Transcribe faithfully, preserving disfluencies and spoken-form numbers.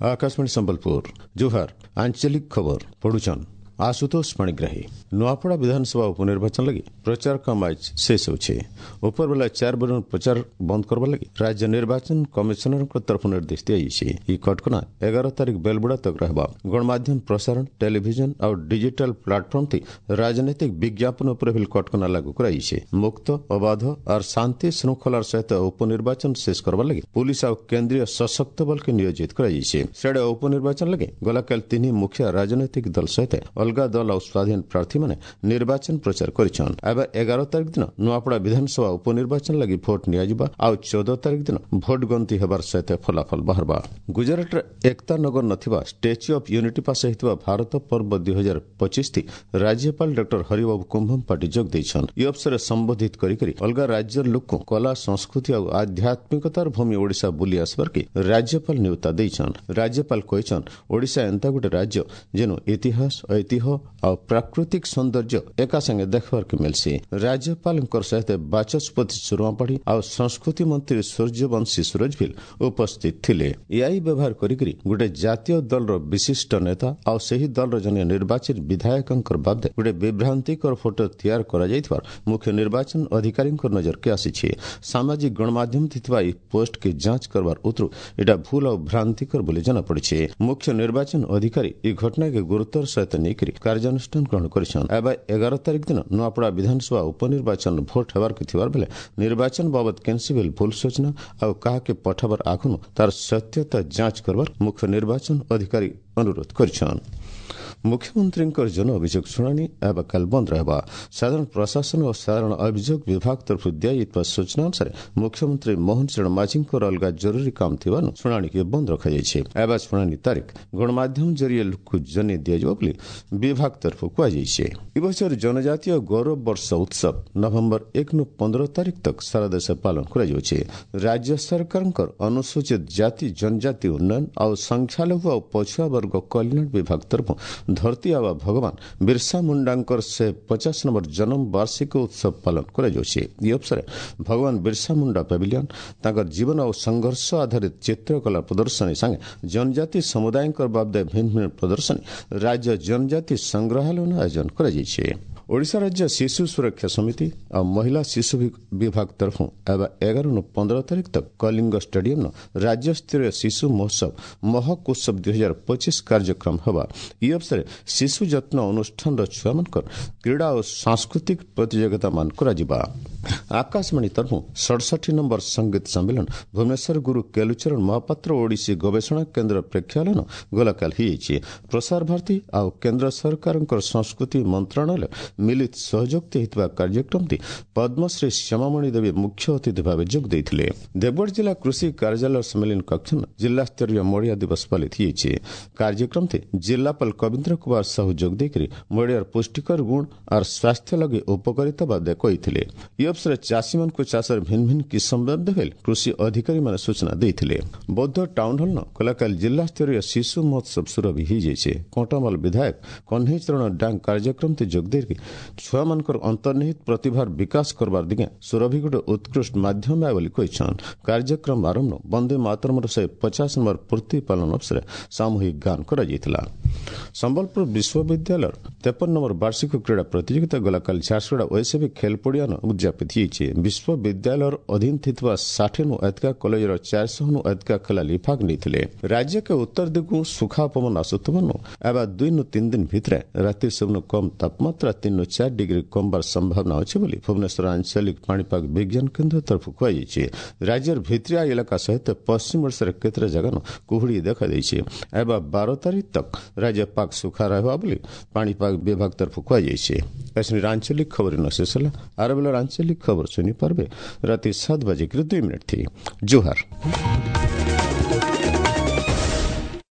ଆକାଶବାଣୀ ସମ୍ବଲପୁର ଜୁହାର ଆଞ୍ଚଳିକ ଖବର ପଢୁଛନ୍ ଆଶୁତୋଷ ପାଣିଗ୍ରାହୀ ନୂଆପଡ଼ା ବିଧାନସଭା ଉପନିର୍ବାଚନ ଲାଗି ପ୍ରଚାର କାମ ଆଜ ଶେଷ ହେଉଛି ଉପରବେଲା ଚାରି ବଜେ ପ୍ରଚାର ବନ୍ଦ କରିବା ଲାଗି ରାଜ୍ୟ ନିର୍ବାଚନ କମିଶନରଙ୍କ ତରଫରୁ ନିର୍ଦ୍ଦେଶ ଦିଆଯାଇଛି ଏହି କଟକଣା ଏଗାର ତାରିଖ ବେଲବୁଡ଼ା ତକ ରହିବ ଗଣମାଧ୍ୟମ ପ୍ରସାରଣ ଟେଲିଭିଜନ ଆଉ ଡିଜିଟାଲ ପ୍ଲାଟଫର୍ମ ଥି ରାଜନୈତିକ ବିଜ୍ଞାପନ ଉପରେ ବି କଟକଣା ଲାଗୁ କରାଯାଇଛି ମୁକ୍ତ ଅବାଧ ଆର୍ ଶାନ୍ତି ଶୃଙ୍ଖଳାର ସହିତ ଉପନିର୍ବାଚନ ଶେଷ କରିବା ଲାଗି ପୁଲିସ ଆଉ କେନ୍ଦ୍ରୀୟ ସଶକ୍ତ ବଳକେ ନିୟୋଜିତ କରାଯାଇଛି ସିଆଡ଼େ ଉପନିର୍ବାଚନ ଲାଗି ଗଲାକାଲି ତିନି ମୁଖ୍ୟ ରାଜନୈତିକ ଦଳ ସହିତ ଅଲଗା ଦଳ ଆଉ ସ୍ୱାଧୀନ ପ୍ରାର୍ଥୀମାନେ ନିର୍ବାଚନ ପ୍ରଚାର କରିଛନ୍ ଏବେ ଏଗାର ତାରିଖ ଦିନ ନୂଆପଡ଼ା ବିଧାନସଭା ଉପନିର୍ବାଚନ ଲାଗି ଭୋଟ ନିଆଯିବା ଆଉ ଚଉଦ ତାରିଖ ଦିନ ଭୋଟ ଗଣତି ହେବାର ସହିତ ଫଳାଫଳ ବାହାରବା ଗୁଜରାଟର ଏକତା ନଗର ନଥିବା ଷ୍ଟାଚ୍ୟୁ ଅଫ୍ ୟୁନିଟି ପାଶେ ହେଇଥିବା ଭାରତ ପର୍ବ ଦୁଇ ହଜାର ପଚିଶ ରାଜ୍ୟପାଳ ଡକ୍ଟର ହରିବାବୁ କୁମ୍ଭମପାଟି ଯୋଗ ଦେଇଛନ୍ ଇ ଅବସରରେ ସମ୍ବୋଧିତ କରିକରି ଅଲଗା ରାଜ୍ୟର ଲୋକଙ୍କୁ କଳା ସଂସ୍କୃତି ଆଉ ଆଧ୍ୟାତ୍ମିକତାର ଭୂମି ଓଡ଼ିଶା ବୁଲି ଆସିବାର କି ରାଜ୍ୟପାଳ ନ୍ୟୁତା ଦେଇଛନ୍ ରାଜ୍ୟପାଳ କହିଛନ୍ ଓଡ଼ିଶା ଏନ୍ତା ଗୋଟେ ରାଜ୍ୟ ଯେନୁ ଇତିହାସ ଐତିହ୍ୟ ଆଉ ପ୍ରାକୃତିକ ସୌନ୍ଦର୍ଯ୍ୟ ଏକା ସାଙ୍ଗେ ଦେଖିବାର୍କେ ମିଲ୍ସି ରାଜ୍ୟପାଳଙ୍କର ସହିତ ବାଚସ୍ପତି ସୁରମା ପାଢ଼ୀ ଆଉ ସଂସ୍କୃତି ମନ୍ତ୍ରୀ ସୂର୍ଯ୍ୟବଂଶୀ ସୁରଜଭିଲ ଉପସ୍ଥିତ ଥିଲେ ଏଆଇ ବ୍ୟବହାର କରିକରି ଗୋଟେ ଜାତୀୟ ଦଳର ବିଶିଷ୍ଟ ନେତା ଆଉ ସେହି ଦଳର ଜଣେ ନିର୍ବାଚିତ ବିଧାୟକଙ୍କର ବାବଦେ ଗୋଟେ ବିଭ୍ରାନ୍ତିକର ଫଟୋ ତିଆରି କରାଯାଇଥିବାର ମୁଖ୍ୟ ନିର୍ବାଚନ ଅଧିକାରୀଙ୍କ ନଜରକେ ଆସିଛି ସାମାଜିକ ଗଣମାଧ୍ୟମ ଥିବା ଏହି ପୋଷ୍ଟକେ ଯାଞ୍ଚ କରବାର ଉତରୁ ଏଟା ଭୁଲ ଆଉ ଭ୍ରାନ୍ତିକର ବୋଲି ଜଣାପଡ଼ିଛି ମୁଖ୍ୟ ନିର୍ବାଚନ ଅଧିକାରୀ ଏହି ଘଟଣାকে ଗୁରୁତ୍ୱର ସହିତ ନେଇକରି କାର୍ଯ୍ୟାନୁଷ୍ଠାନ ଗ୍ରହଣ କରିଛନ୍ତି ଏବେ ଏଗାର ତାରିଖ ଦିନ ନୂଆପଡ଼ା ବିଧାନସଭା ଉପନିର୍ବାଚନ ଭୋଟ ହେବାର ଥିବାର ବେଲେ ନିର୍ବାଚନ ବାବଦ କେନ୍ସି ବିଲ୍ ଭୁଲ ସୂଚନା ଆଉ କାହାକେ ପଠାବାର ଆଗନୁ ତାର ସତ୍ୟତା ଯାଞ୍ଚ କରବାର ମୁଖ୍ୟ ନିର୍ବାଚନ ଅଧିକାରୀ ଅନୁରୋଧ କରିଛନ୍ ମୁଖ୍ୟମନ୍ତ୍ରୀଙ୍କର ଜନ ଅଭିଯୋଗ ଶୁଣାଣି ଏବେ କାଲି ବନ୍ଦ ରହିବ ସାଧାରଣ ପ୍ରଶାସନ ଓ ସାଧାରଣ ଅଭିଯୋଗ ବିଭାଗ ତରଫରୁ ଦିଆଯାଇଥିବା ସୂଚନା ଅନୁସାରେ ମୁଖ୍ୟମନ୍ତ୍ରୀ ମୋହନ ଚରଣ ମାଝୀଙ୍କର ଅଲଗା ଜରୁରୀ କାମ ଥିବାରୁ ଶୁଣାଣିକୁ ବନ୍ଦ ରଖାଯାଇଛି ଏବେ ଶୁଣାଣି ତାରିଖ ଗଣମାଧ୍ୟମ ଜରିଏ ଲୋକକୁ ଜଣାଇ ଦିଆଯିବ ବୋଲି ବିଭାଗ ତରଫରୁ କୁହାଯାଇଛି ଏ ବଛର ଜନଜାତୀୟ ଗୌରବ ବର୍ଷ ଉତ୍ସବ ନଭେମ୍ବର ଏକରୁ ପନ୍ଦର ତାରିଖ ତକ ସାରା ଦେଶ ପାଳନ କରାଯାଉଛି ରାଜ୍ୟ ସରକାରଙ୍କର ଅନୁସୂଚିତ ଜାତି ଜନଜାତି ଉନ୍ନୟନ ଆଉ ସଂଖ୍ୟାଲଘୁ ଆଉ ପଛୁଆ ବର୍ଗ କଲ୍ୟାଣ ବିଭାଗ ତରଫରୁ ଧରତୀ ଆବା ଭଗବାନ ବିର୍ସା ମୁଣ୍ଡାଙ୍କର ସେ ପଚାଶ ନମ୍ବର ଜନ୍ମ ବାର୍ଷିକ ଉତ୍ସବ ପାଳନ କରାଯାଉଛି ଏହି ଅବସରରେ ଭଗବାନ ବିର୍ସା ମୁଣ୍ଡା ପାଭିଲିୟନ ତାଙ୍କର ଜୀବନ ଓ ସଂଘର୍ଷ ଆଧାରିତ ଚିତ୍ରକଳା ପ୍ରଦର୍ଶନୀ ସାଙ୍ଗେ ଜନଜାତି ସମୁଦାୟଙ୍କ ବାବଦେ ଭିନ୍ନ ଭିନ୍ନ ପ୍ରଦର୍ଶନୀ ରାଜ୍ୟ ଜନଜାତି ସଂଗ୍ରହାଳୟ ଆୟୋଜନ କରାଯାଇଛି ଓଡ଼ିଶା ରାଜ୍ୟ ଶିଶୁ ସୁରକ୍ଷା ସମିତି ଆଉ ମହିଳା ଶିଶୁ ବିଭାଗ ତରଫରୁ ଏବେ ଏଗାରରୁ ପନ୍ଦର ତାରିଖ ତକ କଳିଙ୍ଗ ଷ୍ଟାଡିୟମ୍ନ ରାଜ୍ୟସ୍ତରୀୟ ଶିଶୁ ମହୋତ୍ସବ ମହକ ଉତ୍ସବ ଦୁଇ ହଜାର ପଚିଶ କାର୍ଯ୍ୟକ୍ରମ ହେବା ଏହି ଅବସରରେ ଶିଶୁ ଯତ୍ନ ଅନୁଷ୍ଠାନର ଛୁଆମାନଙ୍କର କ୍ରୀଡ଼ା ଓ ସାଂସ୍କୃତିକ ପ୍ରତିଯୋଗିତାମାନ କରାଯିବା ଆକାଶବାଣୀ ତରଫରୁ ସଡ଼ଷଠି ନମ୍ବର ସଙ୍ଗୀତ ସମ୍ମିଳନ ଭୁବନେଶ୍ୱର ଗୁରୁ କେଲୁଚରଣ ମହାପାତ୍ର ଓଡ଼ିଶୀ ଗବେଷଣା କେନ୍ଦ୍ର ପ୍ରେକ୍ଷାଳୟନ ଗଲାକାଲି ହୋଇଯାଇଛି ପ୍ରସାର ଭାରତୀ ଆଉ କେନ୍ଦ୍ର ସରକାରଙ୍କର ସଂସ୍କୃତି ମନ୍ତ୍ରଣାଳୟ ମିଳିତ ସହଯୋଗ ହୋଇଥିବା କାର୍ଯ୍ୟକ୍ରମଟି ପଦ୍ମଶ୍ରୀ ଶ୍ୟାମାମଣି ଦେବୀ ମୁଖ୍ୟ ଅତିଥି ଭାବେ ଯୋଗ ଦେଇଥିଲେ ଦେବଗଡ଼ ଜିଲ୍ଲା କୃଷି କାର୍ଯ୍ୟାଳୟ ସମ୍ମିଳନୀ କକ୍ଷ ଜିଲ୍ଲାସ୍ତରୀୟ ମଡ଼ିଆ ଦିବସ ପାଳିତ ହୋଇଛି କାର୍ଯ୍ୟକ୍ରମଟି ଜିଲ୍ଲାପାଳ କବୀନ୍ଦ୍ର କୁମାର ସାହୁ ଯୋଗ ଦେଇକରି ମଡ଼ିଆର ପୁଷ୍ଟିକର ଗୁଣ ଆର୍ ସ୍ୱାସ୍ଥ୍ୟ ଲାଗି ଉପକାରିତା ବାବଦେ କହିଥିଲେ ଏହି ଅବସରରେ ଚାଷୀମାନଙ୍କୁ ଚାଷର ଭିନ୍ନ ଭିନ୍ନ କିସମ ବାବଦେ କୃଷି ଅଧିକାରୀମାନେ ସୂଚନା ଦେଇଥିଲେ ବୌଦ୍ଧ ଟାଉନ ହଲ୍ନ ଗଲାକାଲି ଜିଲ୍ଲାସ୍ତରୀୟ ଶିଶୁ ମହୋତ୍ସବ ସୁରଭି ହୋଇଯାଇଛି କଣ୍ଟାମାଲ ବିଧାୟକ କହ୍ନେଇ ଚରଣ ଡାଙ୍ଗ କାର୍ଯ୍ୟକ୍ରମରେ ଯୋଗ ଦେଇକି ଛୁଆମାନଙ୍କର ଅନ୍ତର୍ନିହିତ ପ୍ରତିଭାର ବିକାଶ କରବାର ଦିଗେ ସୁରଭି ଗୋଟେ ଉତ୍କୃଷ୍ଟ ମାଧ୍ୟମ ବୋଲି କହିଛନ୍ କାର୍ଯ୍ୟକ୍ରମ ଆରମ୍ଭ ବନ୍ଦେ ମାତରମର ଶହେ ପଚାଶ ନମ୍ବର ପୂର୍ତ୍ତି ପାଳନ ଅବସରରେ ସାମୂହିକ ଗାନ କରାଯାଇଥିଲା ସମ୍ବଲପୁର ବିଶ୍ୱବିଦ୍ୟାଳୟର ତେପନ ନମ୍ବର ବାର୍ଷିକ କ୍ରୀଡ଼ା ପ୍ରତିଯୋଗିତା ଗଲାକାଲି ଝାରସୁଗୁଡ଼ା ଓଏସ୍ଏବି ଖେଲ ପଡ଼ିଆନ ଉଦଯାପିତ ହୋଇଛି ବିଶ୍ୱବିଦ୍ୟାଳୟର ଅଧୀନ ଥିବା ଷାଠିଏନୁ ଅଧିକା କଲେଜର ଚାରିଶହନୁ ଅଧିକା ଖେଳାଳି ଭାଗ ନେଇଥିଲେ ରାଜ୍ୟକେ ଉତ୍ତର ଦିଗକୁ ସୁଖା ପବନ ଆସୁଥିବାରୁ ଏବେ ଦୁଇନୁ ତିନି ଦିନ ଭିତରେ ରାତି ସବୁନୁ କମ୍ ତାପମାତ୍ରା ତିନିରୁ ଚାରି ଡିଗ୍ରୀ କମବାର ସମ୍ଭାବନା ଅଛି ବୋଲି ଭୁବନେଶ୍ୱର ଆଞ୍ଚଳିକ ପାଣିପାଗ ବିଜ୍ଞାନ କେନ୍ଦ୍ର ତରଫରୁ କୁହାଯାଇଛି ରାଜ୍ୟର ଭିତିରିଆ ଇଲାକା ସହିତ ପଶ୍ଚିମ ଓଡ଼ିଶାର କେତେଟା ଜାଗାନ କୁହୁଡ଼ି ଦେଖାଦେଇଛି ଏବେ ବାର ତାରିଖ ତକ ରାଜ୍ୟ ପାଗ ସୁଖା ରହିବ ବୋଲି ପାଣିପାଗ ବିଭାଗ ତରଫରୁ କୁହାଯାଇଛି ଆଞ୍ଚଳିକ ଖବର ନ ଶେଷ ହେଲା ଆର ବେଳର ଆଞ୍ଚଳିକ ଖବର ଶୁଣିପାରିବେ ରାତି ସାତ ବାଜିକରି ଦୁଇ ମିନିଟ୍ ଥି ଜୁହାର।